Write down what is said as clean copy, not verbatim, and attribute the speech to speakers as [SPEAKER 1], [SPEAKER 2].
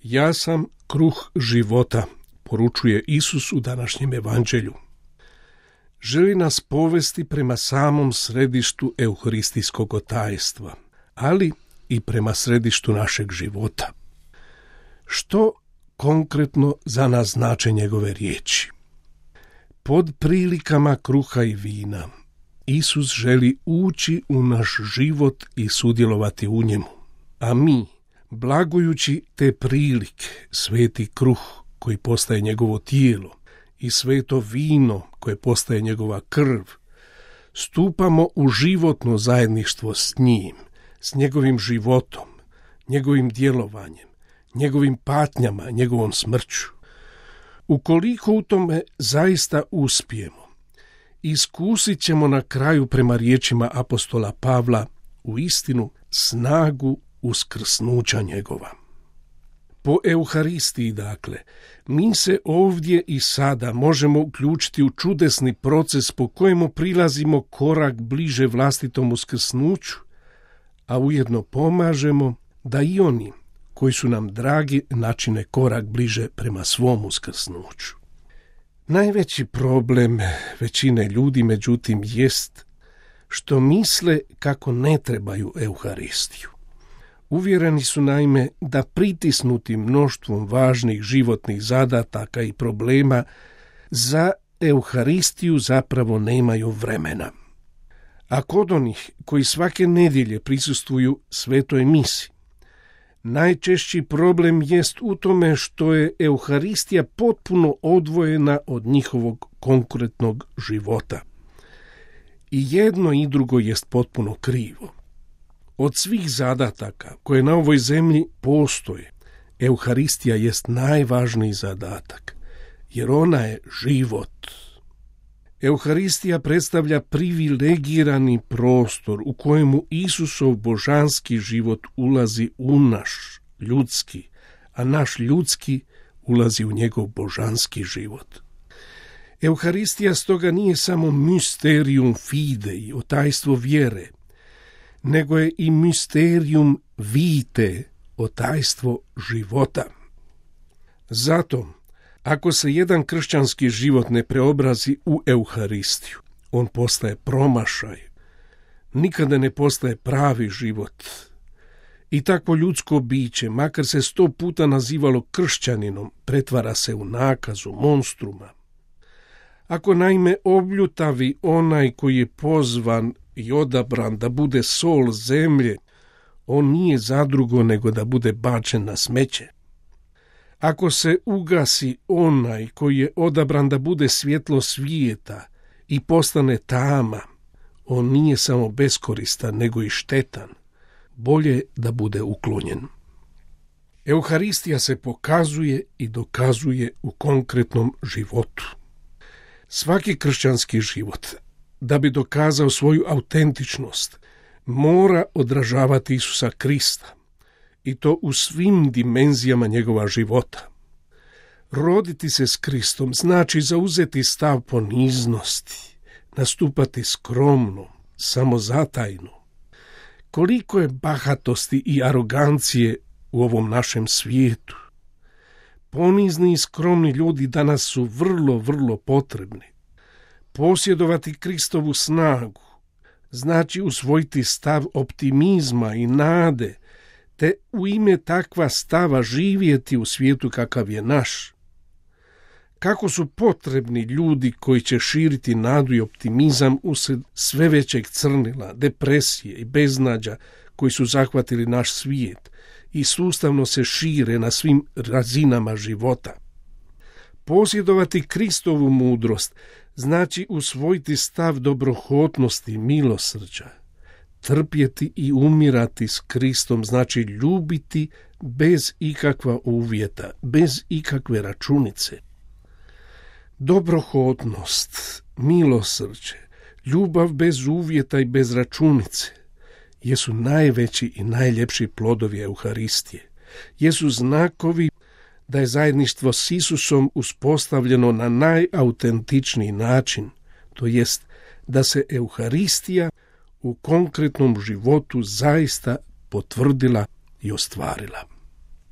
[SPEAKER 1] Ja sam kruh života, poručuje Isus u današnjem evanđelju. Želi nas povesti prema samom središtu euharistijskog tajstva, ali i prema središtu našeg života. Što konkretno za nas znače njegove riječi? Pod prilikama kruha i vina Isus želi ući u naš život i sudjelovati u njemu, a mi, blagujući te prilike, sveti kruh koji postaje njegovo tijelo i sveto vino koje postaje njegova krv, stupamo u životno zajedništvo s njim, s njegovim životom, njegovim djelovanjem, njegovim patnjama, njegovom smrću. Ukoliko u tome zaista uspijemo, iskusit ćemo na kraju prema riječima apostola Pavla u istinu snagu uskrsnuća njegova. Po Euharistiji, dakle, mi se ovdje i sada možemo uključiti u čudesni proces po kojemu prilazimo korak bliže vlastitom uskrsnuću, a ujedno pomažemo da i oni koji su nam dragi načine korak bliže prema svom uskrsnuću. Najveći problem većine ljudi, međutim, jest što misle kako ne trebaju Euharistiju. Uvjereni su naime da pritisnuti mnoštvom važnih životnih zadataka i problema za Euharistiju zapravo nemaju vremena. A kod onih koji svake nedjelje prisustvuju svetoj misi, najčešći problem jest u tome što je Euharistija potpuno odvojena od njihovog konkretnog života. I jedno i drugo jest potpuno krivo. Od svih zadataka koje na ovoj zemlji postoje, Euharistija jest najvažniji zadatak, jer ona je život. Euharistija predstavlja privilegirani prostor u kojemu Isusov božanski život ulazi u naš ljudski, a naš ljudski ulazi u njegov božanski život. Euharistija stoga nije samo mysterium fidei, otajstvo vjere, nego je i mysterium vitae, otajstvo života. Zato, ako se jedan kršćanski život ne preobrazi u Euharistiju, on postaje promašaj, nikada ne postaje pravi život. I takvo ljudsko biće, makar se 100 puta nazivalo kršćaninom, pretvara se u nakazu, monstruma. Ako naime obljutavi onaj koji je pozvan i odabran da bude sol zemlje, on nije zadrugo nego da bude bačen na smeće. Ako se ugasi onaj koji je odabran da bude svjetlo svijeta i postane tama, on nije samo beskoristan nego i štetan. Bolje da bude uklonjen. Euharistija se pokazuje i dokazuje u konkretnom životu. Svaki kršćanski život, da bi dokazao svoju autentičnost, mora odražavati Isusa Krista, i to u svim dimenzijama njegova života. Roditi se s Kristom znači zauzeti stav poniznosti, nastupati skromno, samozatajno. Koliko je bahatosti i arogancije u ovom našem svijetu. Ponizni i skromni ljudi danas su vrlo, vrlo potrebni. Posjedovati Kristovu snagu znači usvojiti stav optimizma i nade, te u ime takva stava živjeti u svijetu kakav je naš. Kako su potrebni ljudi koji će širiti nadu i optimizam usred sve većeg crnila, depresije i beznađa koji su zahvatili naš svijet i sustavno se šire na svim razinama života. Posjedovati Kristovu mudrost znači usvojiti stav dobrohotnosti i milosrđa. Trpjeti i umirati s Kristom znači ljubiti bez ikakva uvjeta, bez ikakve računice. Dobrohotnost, milosrđe, ljubav bez uvjeta i bez računice jesu najveći i najljepši plodovi Euharistije. Jesu znakovi da je zajedništvo s Isusom uspostavljeno na najautentičniji način, to jest da se Euharistija u konkretnom životu zaista potvrdila i ostvarila.